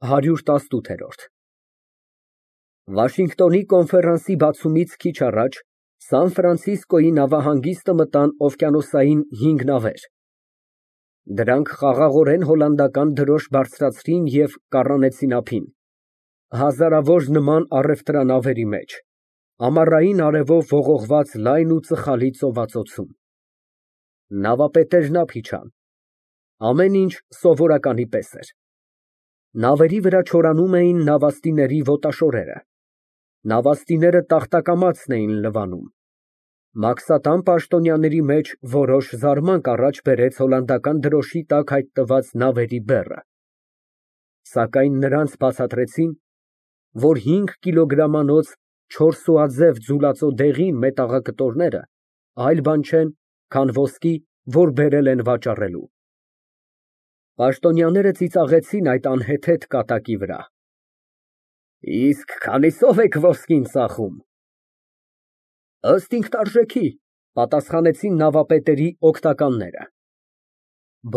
118։ Վաշինգտոնի կոնֆերանսի բացումից քիչ առաջ Սան Ֆրանցիսկոյի նավահանգիստը մտան օվկիանոսային 5 նավեր։ Դրանք խաղաղորեն հոլանդական դրոշ բարձրացրին և կառանեցին ափին, հազարավոր նման առևտրանավերի մեջ, ամառային արևով ողողված լայն ու ծխալի ծովածոցում։ Նավապետերն ափ իջան։ Ամեն ինչ սովորականի պես էր։ Նավերի վրա չորանում էին նավաստիների ոտաշորերը։ Նավաստիները տախտակամածն էին լվանում։ Մաքսատան պաշտոնյաների մեջ որոշ զարմանք առաջ բերեց հոլանդական դրոշի տակ հայտնված նավերի բեռը։ Սակայն նրանց բացատրեցին, որ 5 կիլոգրամանոց չորսուաձև ձուլածո դեղին մետաղակտորները այլ բան չեն, քան ոսկի, որ բերել են վաճառելու։ Պաշտոնյաները ծիծաղեցին այդ անհեթեթ կատակի վրա։ Իսկ քանիսով եք ոսկին ծախում։ Ըստ ինքնարժեքի, պատասխանեցին նավապետերի օգնականները։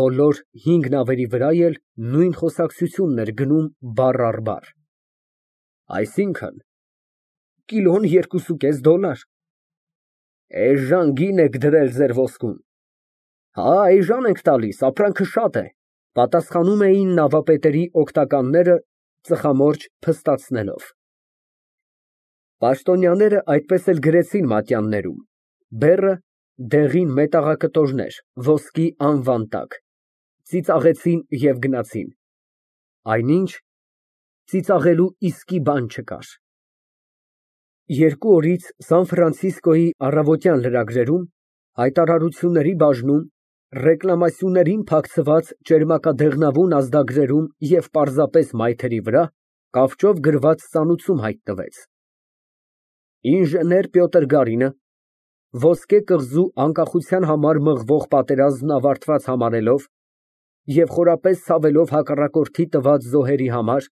Բոլոր 5 նավերի վրա էլ նույն խոսակցությունն էր գնում բառ առ բառ։ Այսինքն՝ կիլոն $2.5։ Էժան գին եք դրել ձեր ոսկուն։ Հա, էժան ենք տալիս, ապրանքը շատ է, պատասխանում էին նավապետերի օգնականները ծխամորճ փստացնելով։ Պաշտոնյաները այդպես էլ գրեցին մատյաններում. բեռը դեղին մետաղակտորներ, ոսկի անվան տակ, ծիծաղեցին և գնացին։ Այնինչ, ծիծաղելու իսկի բան չկար։ 2 օրից Սան Ֆրանցիսկոյի առավոտյան լրագրերում, հայտարարությունների բաժնում, ռեկլամասյուններին փակցված ճերմակադեղնավուն ազդագրերում և պարզապես մայթերի վրա կավճով գրված ծանուցում հայտնվեց. Ինժեներ Պյոտր Գարինը, ոսկե կղզու անկախության համար մղվող պատերազմն ավարտված համարելով և խորապես ցավելով հակառակորդի տված զոհերի համար,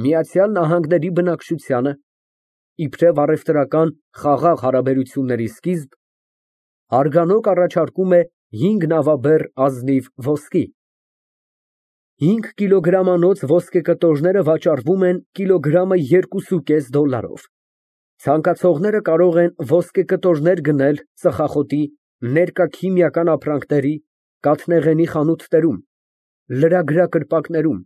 ԱՄՆ բնակչությանը, իբրև առևտրական խաղաղ հարաբերությունների սկիզբ, հարգանոկ առաջարկում է 5 նավաբեռ ազնիվ ոսկի։ 5 կիլոգրամանոց ոսկեկտորները վաճառվում են կիլոգրամը $2.5։ Ցանկացողները կարող են ոսկեկտորներ գնել ծխախոտի, ներկա քիմիական ապրանքների, կաթնեղենի խանութներում, լրագրակրպակներում,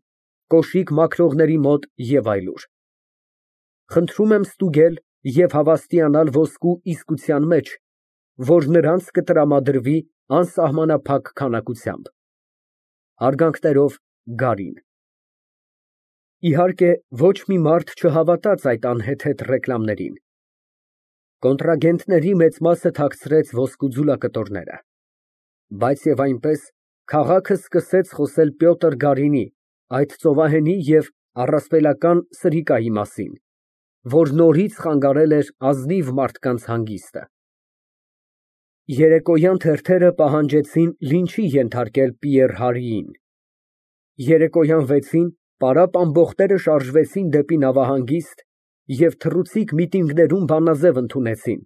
կոշիկ մաքրողների մոտ և այլուր։ Խնդրում եմ ստուգել և հավաստիանալ ոսկու իսկության մեջ, որ նրանց կտրամադրվի անսահմանափակ քանակությամբ։ Հարգանքներով, Գարին։ Իհարկե, ոչ մի մարդ չհավատաց այդ անհեթեթ ռեկլամներին։ Կոնտրագենտների մեծ մասը թաքցրեց ոսկու ձուլակտորները։ Բայց և այնպես, քաղաքը սկսեց խոսել Պյոտր Գարինի, այդ ծովահենի և առասպելական սրիկայի մասին, որ նորից խանգարել էր ազնիվ մարդկանց հանգիստը։ Երեկոյան թերթերը պահանջեցին լինչի ենթարկել Պիեր Հարիին։ Երեկոյան 6-ին պարապ ամբոխները շարժվեցին դեպի նավահանգիստ և թռուցիկ միտինգներում բանաձև ընդունեցին.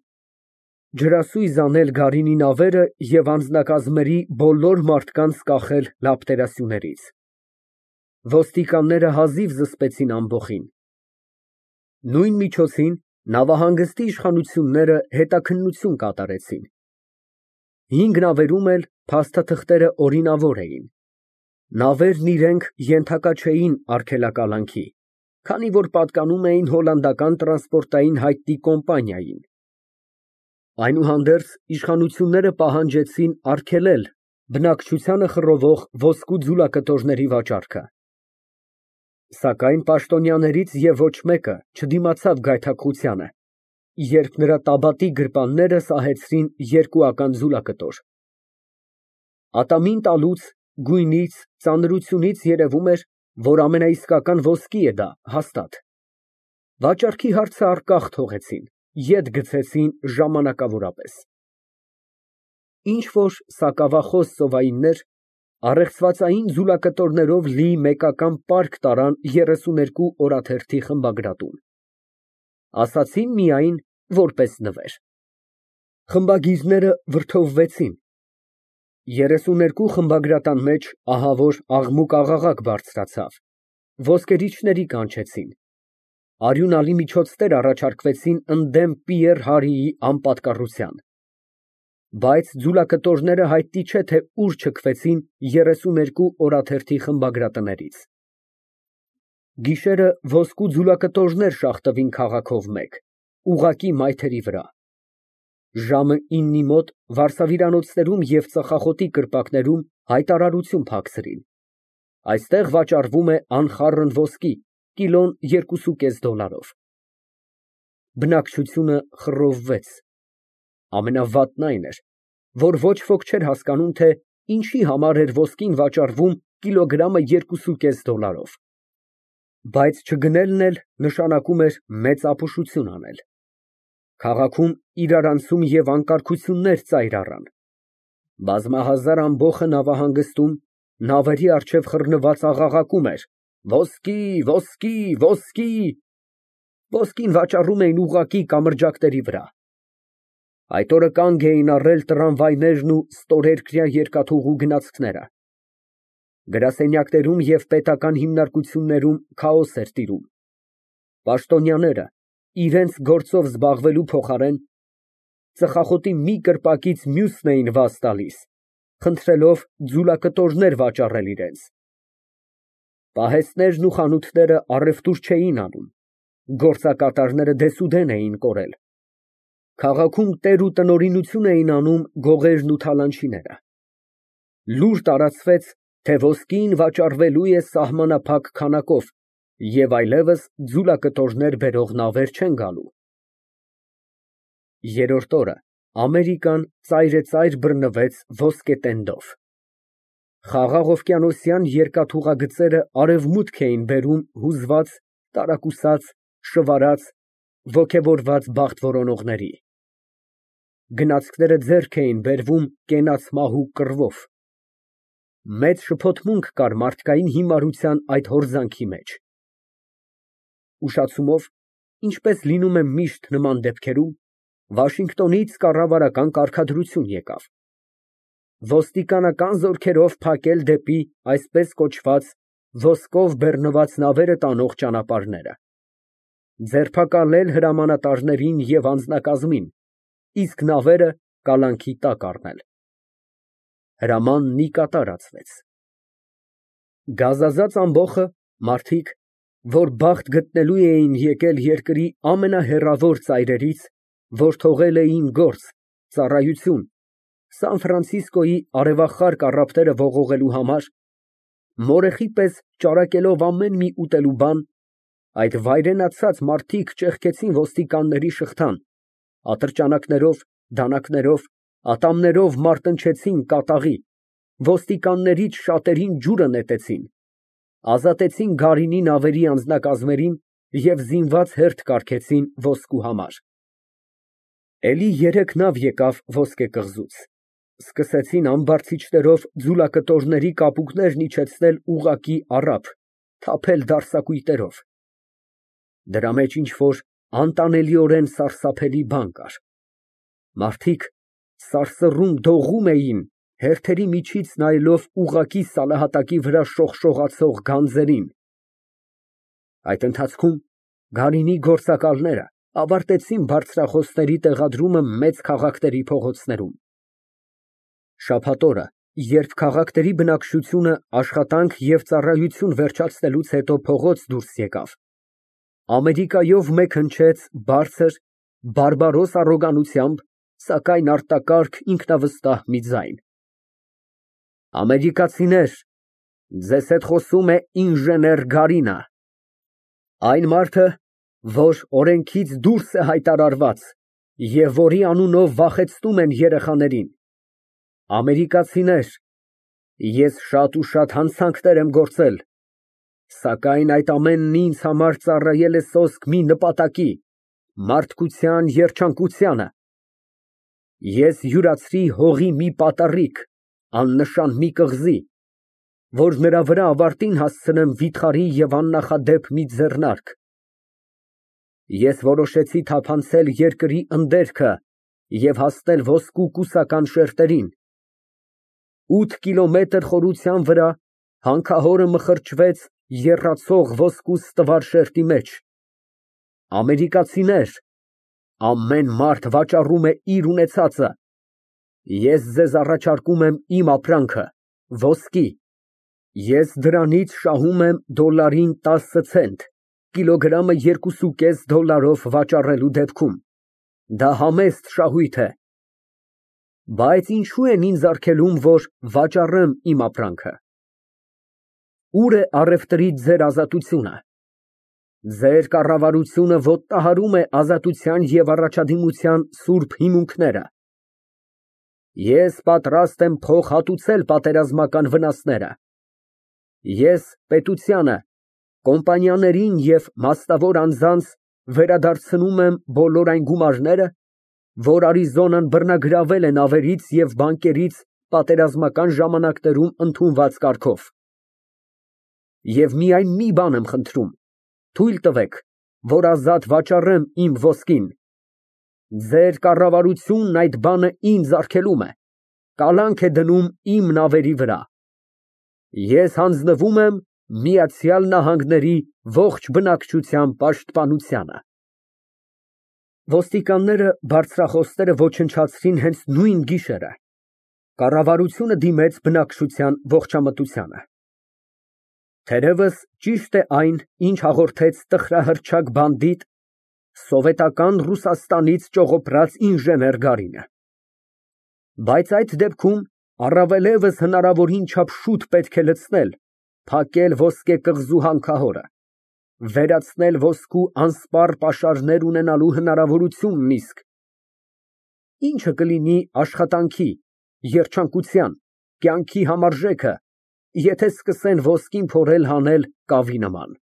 ջրասույզ անել Գարինի նավերը և անձնակազմերի բոլոր մարդկանց կախել լապտերասյուներից։ Ոստիկանները հազիվ զսպեցին ամբոխին։ Նույն միջոցին նավահանգստի իշխանությունները հետաքննություն կատարեցին։ 5 նավերում էլ փաստաթղթերը օրինավոր էին։ Նավերն իրենք ենթակա չէին արգելակալանքի, քանի որ պատկանում էին հոլանդական տրանսպորտային հայտնի կոմպանիային։ Այնուհանդերձ, իշխանությունները պահանջեցին արգելել բնակչությանը խռովող ոսկու ձուլակտորների վաճառքը։ Սակայն պաշտոնյաներից և ոչ մեկը չդիմացավ գայթակղությանը, երբ նրա տաբատի գրպանները սահեցրին երկուական ձուլակտոր։ Ատամին տալուց, գույնից, ծանրությունից երևում էր, որ ամենաիսկական ոսկի է դա, հաստատ։ Վաճառքի հարցը առկախ թողեցին, ետ գցեցին ժամանակավորապես։ Ինչ-որ սակավախոս ծովայիններ առեղծվածային ձուլակտորներով լի մեկական պարկ տարան 32 օրաթերթի խմբագրատուն։ Ասացին միայն որպես նվեր։ Խմբագիրները վրդովվեցին։ 32 խմբագրատան մեջ ահավոր աղմուկ֊աղաղակ բարձրացավ, ոսկերիչների կանչեցին։ Արյունալի միջոցներ առաջարկվեցին ընդդեմ Պիեռ Հարիի անպատկառության։ Բայց ձուլակտորները հայտնի չէ, թե ուր չքվեցին 32 օրաթերթի խմբագրատներից։ Գիշերը ոսկու ձուլակտորներ շաղթվին քաղաքով մեկ, ուղղակի մայթերի վրա։ Ժամը 9-ի մոտ վարսավիրանոցներում և ծխախոտի կրպակներում հայտարարություն փակցրին. այստեղ վաճառվում է անխառն ոսկի, կիլոն $2.5։ Բնակչությունը խռովվեց։ Ամենավատն այն էր, որ ոչ ոք չէր հասկանում, թե ինչի համար էր ոսկին վաճառվում կիլոգրամը $2.5։ Բայց չգնելն էլ նշանակում էր մեծ ապուշություն անել։ Քաղաքում իրարանցում և անկարգություններ ծայր առան։ Բազմահազար ամբոխը նավահանգստում նավերի առջև խռնված աղաղակում էր. «Ոսկի, ոսկի, ոսկի»։ Ոսկին վաճառում էին ուղղակի կամրջակների վրա։ Այդ օրը կանգ էին առել տրամվայներն ու ստորերկրյա երկաթուղու գնացքները։ Գրասենյակներում և պետական հիմնարկություններում քաոս էր տիրում։ Պաշտոնյաները, իրենց գործով զբաղվելու փոխարեն, ծխախոտի մի կրպակից մյուսն էին վազ տալիս, խնդրելով ձուլակտորներ վաճառել իրենց։ Պահեստներն ու խանութները առևտուր չէին անում, գործակատարները դեսուդեն էին կորել։ Քաղաքում տեր ու տնօրինություն էին անում գողերն ու թալանչիները։ Լուր տարածվեց, թե ոսկին վաճառվելու է սահմանափակ քանակով և այլևս ձուլակտորներ բերող նավեր չեն գալու։ Երրորդ օրը Ամերիկան ծայրեծայր բռնվեց ոսկետենդով։ Խաղաղ օվկիանոսյան երկաթուղագծերը արևմուտք էին բերում հուզված, տարակուսած, շվարած, ոգևորված բախտ որոնողների։ Գնացքները ձեռք էին բերվում կենաց մահու կռվով։ Մեծ շփոթմունք կար մարդկային հիմարության այդ հորձանքի մեջ։ Ուշացումով, ինչպես լինում է միշտ նման դեպքերում, Վաշինգտոնից կառավարական կարգադրություն եկավ. ոստիկանական զորքերով փակել դեպի այսպես կոչված ոսկով բեռնված նավերը տանող ճանապարհները, ձերբակալել հրամանատարներին և անձնակազմին, իսկ նավերը կալանքի տակ առնել։ Հրամանն ի կատարածվեց։ Գազազած ամբոխը, մարդիկ, որ բախտ գտնելու էին եկել երկրի ամենահեռավոր ծայրերից, որ թողել էին գործ, ծառայություն, Սան Ֆրանցիսկոյի արևախառ կառափները ողողելու համար, մորեխի պես ճարակելով ամեն մի ուտելու բան, այդ վայրենացած մարդիկ ճեղքեցին ոստիկանների շղթան, ատրճանակներով, դանակներով, ատամներով մարտնչեցին կատաղի, ոստիկաններից շատերին ջուրը նետեցին, ազատեցին գարինի նավերի անձնակազմերին և զինված հերթ կարգեցին ոսկու համար։ Էլի 3 նավ եկավ ոսկե կղզուց, սկսեցին ամբարձիչներով ձուլակտորների կապուկներն իջեցնել ուղղակի առափ, թափել դարսակույտերով։ Դրա մեջ ինչ֊որ անտանելիորեն սարսափելի բան կար։ Մարդիկ սարսռում դողում էին, հերթերի միջից նայելով ուղղակի սալահատակի վրա շողշողացող գանձերին։ Այդ ընթացքում գարինի գործակալները ավարտեցին բարձրախոսների տեղադրումը մեծ քաղաքների փողոցներում։ Շաբաթ օրը, երբ քաղաքների բնակչությունը աշխատանք և ծառայություն վերջացնելուց հետո փողոց դուրս եկավ, Ամերիկայով մեկ հնչեց բարձր, բարբարոս առոգանությամբ, սակայն արտակարգ ինքնավստահ մի ձայն. Ամերիկացիներ, ձեզ հետ խոսում է ինժեներ Գարինը, այն մարդը, որ օրենքից դուրս է հայտարարված և որի անունով վախեցնում են երեխաներին։ Ամերիկացիներ, ես շատ ու շատ հանցանքներ եմ գործել, սակայն այդ ամենն ինձ համար ծառայել է սոսկ մի նպատակի՝ մարդկության երջանկությանը։ Ես յուրացրի հողի մի պատառիկ, աննշան մի կղզի, որ նրա վրա ավարտին հասցնեմ վիթխարի և աննախադեպ մի ձեռնարկ։ Ես որոշեցի թափանցել երկրի ընդերքը և հասնել ոսկու կուսական շերտերին։ 8 կիլոմետր խորության վրա հանքահորը մխրճվեց եռացող ոսկու ստվար շերտի մեջ։ Ամերիկացիներ, ամեն մարդ վաճառում է իր ունեցածը, ես ձեզ առաջարկում եմ իմ ապրանքը, ոսկի, ես դրանից շահում եմ դոլարին 10 ցենտ, կիլոգրամը 2.5 դոլարով վաճառելու դեպքում, դա համեստ շահույթ է, բայց ինչու են ինձ արգելում, որ վաճառեմ իմ ապրանքը։ Ուր է առևտրից ձեր ազատությունը։ Ձեր կառավարությունը ոտնահարում է ազատության և առաջադիմության սուրբ հիմունքները։ Ես պատրաստ եմ փոխհատուցել պատերազմական վնասները։ Ես պետությանը, կոմպանիաներին և մասնավոր անձանց վերադարձնում եմ բոլոր այն գումարները, որ Արիզոնան բռնագրավել է նավերից և բանկերից պատերազմական ժամանակներում ընդունված կարգով։ Եվ միայն մի բան եմ խնդրում, թույլ տվեք, որ ազատ վաճառեմ իմ ոսկին։ Ձեր կառավարությունն այդ բանը ինձ արգելում է, կալանք է դնում իմ նավերի վրա։ Ես հանձնվում եմ Միացյալ Նահանգների ողջ բնակչության պաշտպանությանը։ Ոստիկանները բարձրախոսները ոչնչացրին հենց նույն գիշերը։ Կառավարությունը դիմեց բնակչության ողջամտությանը։ Թերևս ճիշտ է այն, ինչ հաղորդեց տխրահռչակ բանդիտ, սովետական Ռուսաստանից ճողոպրած ինժեներ Գարինը։ Բայց այդ դեպքում առավելևս հնարավորին չափ շուտ պետք է լցնել, փակել ոսկե կղզու հանքահորը, վերացնել ոսկու անսպառ պաշարներ ունենալու հնարավորությունն իսկ ինչը կլինի աշխատանքի, երջանկության, կյանքի համարժեքը, եթե սկսեն ոսկին փորել հանել կավի նման։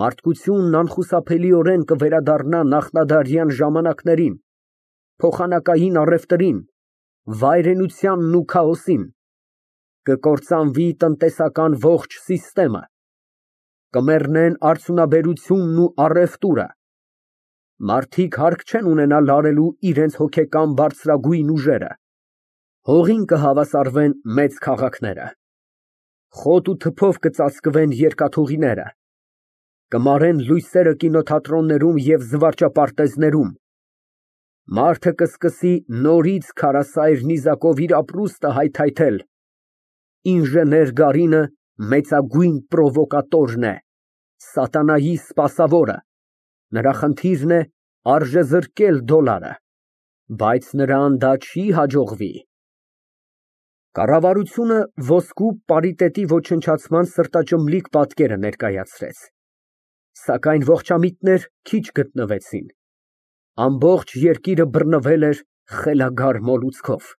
Մարդկությունն անխուսափելիորեն կվերադառնա նախնադարյան ժամանակներին, փոխանակային առևտրին, վայրենությանն ու քաոսին, կկործանվի տնտեսական ողջ սիստեմը, կմեռնեն արդյունաբերությունն ու առևտուրը, մարդիկ հարկ չեն ունենա լարելու իրենց հոգեկան բարձրագույն ուժերը, հողին կհավասարվեն մեծ քաղաքները, խոտ ու թփով կծածկվեն երկաթուղիները, կմարեն լույսերը կինոթատրոններում և զվարճապարտեզներում, մարդը կսկսի նորից քարասայր նիզակով իր ապրուստը հայթայթել, ինժեներ Գարինը մեծագույն պրովոկատորն է, սատանայի սպասավորը, նրա խնդիրն է արժեզրկել դոլարը, բայց նրան դա չի հաջողվի։ Կառավարությունը ոսկու պարիտետի ոչնչացման սրտաճմլիկ պատկերը ներկայացրեց, սակայն ողջամիտներ քիչ գտնվեցին, ամբողջ երկիրը բռնվել էր խելագար մոլուցքով։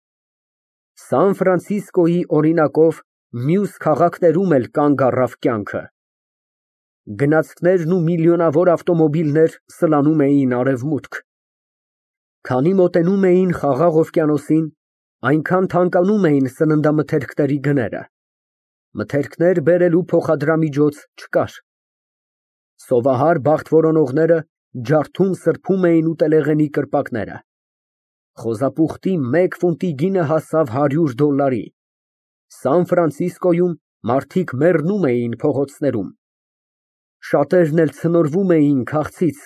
Սան Ֆրանցիսկոյի օրինակով մյուս քաղաքներում էլ կանգ առավ կյանքը։ Գնացքներն ու միլիոնավոր ավտոմոբիլներ սլանում էին արևմուտք։ Քանի մոտենում էին Խաղաղ օվկիանոսին, այնքան թանկանում էին սննդամթերքների գները։ Մթերքներ բերելու փոխադրամիջոց չկար։ Սովահար բախտ որոնողները ջարդում սրբում էին ուտելեղենի կրպակները։ Խոզապուխտի 1 ֆունտի գինը հասավ $100։ Սան Ֆրանցիսկոյում մարդիկ մեռնում էին փողոցներում։ Շատերն էլ ցնորվում էին քաղցից,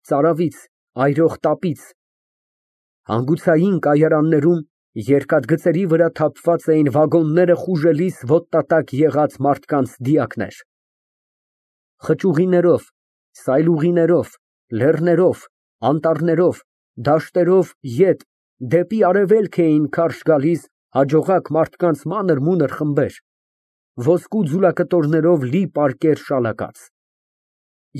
ծարավից, այրող տապից։ Հանգուցային կայարաններում երկաթգծերի վրա թափված էին վագոնները խուժելիս ոտնատակ եղած մարդկանց դիակներ։ Խճուղիներով, սայլուղիներով, լեռներով, անտառներով, դաշտերով ետ դեպի արևելք էին քարշ գալիս հաջողակ մարդկանց մանր-մունր խմբեր, ոսկու ձուլակտորներով լի պարկեր շալակած։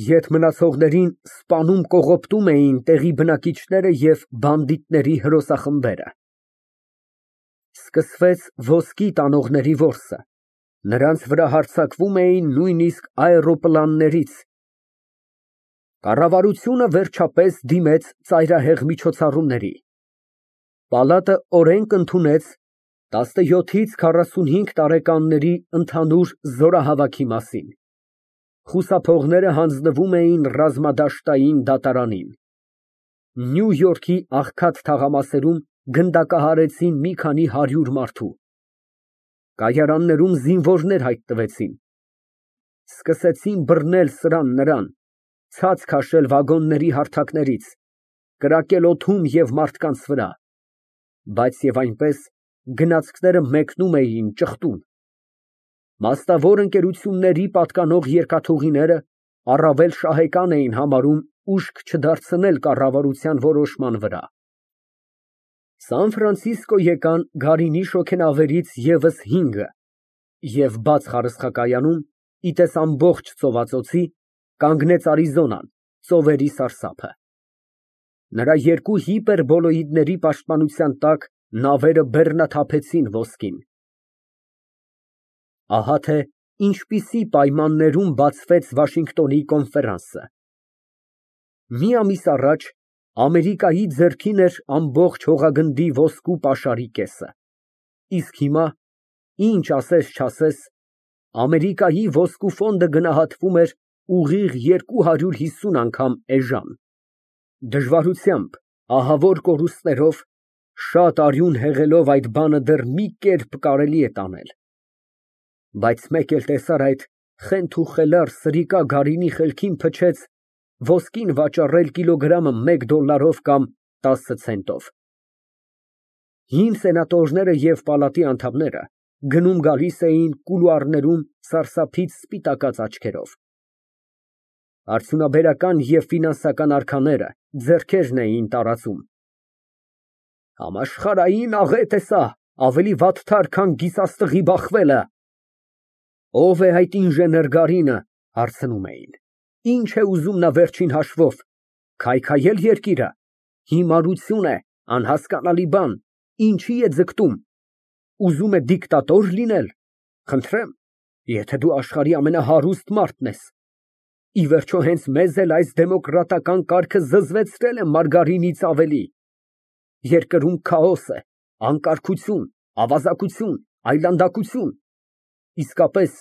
Ետ մնացողներին սպանում կողոպտում էին տեղի բնակիչները և բանդիտների հրոսախմբերը։ Սկսվեց ոսկի տանողների որսը, նրանց վրա հարձակվում էին նույնիսկ աէրոպլաններից։ Կառավարությունը վերջապես դիմեց ծայրահեղ միջոցառումների։ Պալատը օրենք ընդունեց 17-ից 45 տարեկանների ընդհանուր զորահավաքի մասին։ Խուսափողները հանձնվում էին ռազմադաշտային դատարանին։ Նյու Յորքի աղքատ թաղամասերում գնդակահարեցին մի քանի 100 մարդու։ Կայարաններում զինվորներ հայտնվեցին։ սկսեցին բռնել սրան նրան, ցած քաշել վագոնների հարթակներից, կրակել օդում և մարդկանց վրա, բայց և այնպես գնացքները մեկնում էին ճխտում։ Մասնավոր ընկերությունների պատկանող երկաթուղիները առավել շահեկան էին համարում ուշք չդարձնել կառավարության որոշման վրա։ Սան եկան գարինի շոգենավերից ևս 5-ը և բաց խարսխակայանում, ի տես ամբողջ ծովածոցի, կանգնեց Արիզոնան, ծովերի սարսափը։ Նրա երկու հիպերբոլոիդների պաշտպանության տակ նավերը բեռնաթափեցին ոսկին։ Ահա թե ինչպիսի պայմաններում բացվեց Վաշինգտոնի կոնֆերանսը։ Մի ամիս առաջ Ամերիկայի ձեռքին էր ամբողջ հողագնդի ոսկու պաշարի կեսը, իսկ հիմա, ինչ ասես֊չասես, Ամերիկայի ոսկու ֆոնդը գնահատվում էր ուղիղ 250 անգամ էժան։ Դժվարությամբ, ահավոր կորուստներով, շատ արյուն հեղելով այդ բանը դեռ մի կերպ կարելի է տանել։ Բայց մեկ էլ տեսար այդ խենթ ու խելառ սրիկա գարինի խելքին փչեց ոսկին վաճառել կիլոգրամը $1 կամ 10 ցենտով։ Հին սենատորները և պալատի անդամները գնում գալիս էին կուլուարներում սարսափից սպիտակած աչքերով։ Արդյունաբերական և ֆինանսական արքաները ձեռքերն էին տարածում։ Համաշխարհային աղետ է սա, ավելի վատթար, քան գիսաստղի բախվելը։ Ո՞վ է այդ ինժեներ Գարինը, հարցնում էին։ Ինչ է ուզում նա վերջին հաշվով, քայքայել երկիրը, հիմարություն է, անհասկանալի բան, ինչի է ձգտում, ուզում է դիկտատոր լինել, խնդրեմ, եթե դու աշխարհի ամենահարուստ մարդն ես։ Ի վերջո հենց մեզ էլ այս դեմոկրատական կարգը զզվեցրել է մարգարինից ավելի։ Երկրում քաոս է, անկարգություն, ավազակություն, այլանդակություն, իսկապես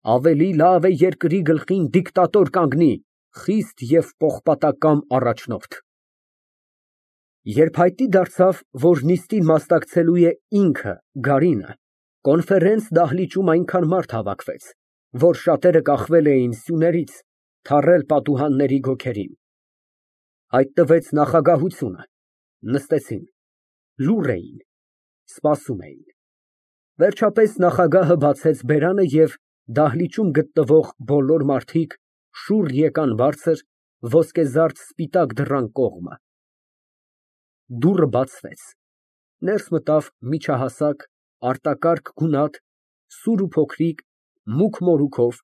ավելի լավ է երկրի գլխին դիկտատոր կանգնի, խիստ և պողպատակամ առաջնորդ։ Երբ հայտնի դարձավ, որ նիստին մասնակցելու է ինքը Գարինը, կոնֆերենց դահլիճում այնքան մարդ հավաքվեց, որ շատերը կախվել էին սյուներից, թառել պատուհանների գոգերին։ Հայտնվեց նախագահությունը, նստեցին, լուռ էին, սպասում էին։ Վերջապես նախագահը բացեց բերանը և դահլիճում գտնվող բոլոր մարդիկ շուռ եկան բարձր, ոսկեզարդ սպիտակ դռան կողմը։ Դուռը բացվեց, ներս մտավ միջահասակ, արտակարգ գունատ, սուր ու փոքրիկ, մուգ մորուքով,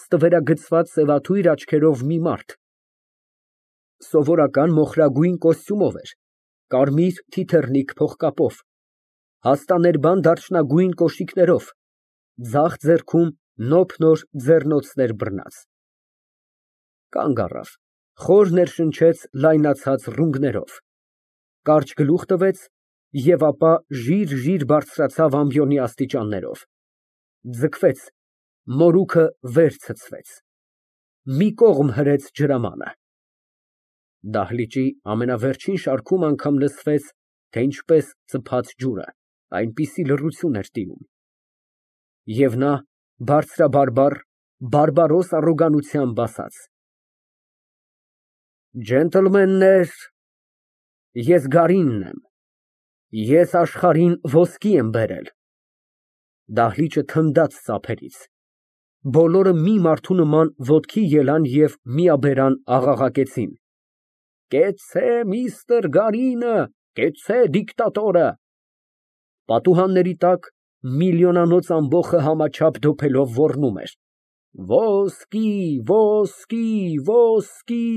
ստվերագծված սևաթույր աչքերով մի մարդ։ Սովորական մոխրագույն կոստյումով էր, կարմիր թիթեռնիկ փողկապով, հաստաներբան դարչնագույն կոշիկներով, ձախ ձեռքում նոփնոր ձեռնոցներ բռնած։ Կանգ առավ, խոր ներշնչեց լայնացած ռունգներով, կարճ գլուխ տվեց և ապա ժիր բարձրացավ ամբիոնի աստիճաններով, ձգվեց, մորուքը վեր ցցվեց, մի կողմ հրեց ջրամանը։ Դահլիճի ամենավերջին շարքում անգամ լսվեց, թե ինչպես ծփաց ջուրը, այնպիսի լռություն էր տիրում։ Եվ նա բարձրաբարբառ, բարբարոս առոգանությամբ ասաց. Ջենտլմեններ, ես Գարինն եմ, ես աշխարհին ոսկի եմ բերել։ Դահլիճը թնդաց ծափերից, բոլորը մի մարդու նման ոտքի ելան և միաբերան աղաղակեցին. Կեցցե միստր Գարինը, կեցցե դիկտատորը։ Պատուհանների տակ միլիոնանոց ամբոխը համաչափ դոփելով ոռնում էր. Ոսկի, ոսկի, ոսկի։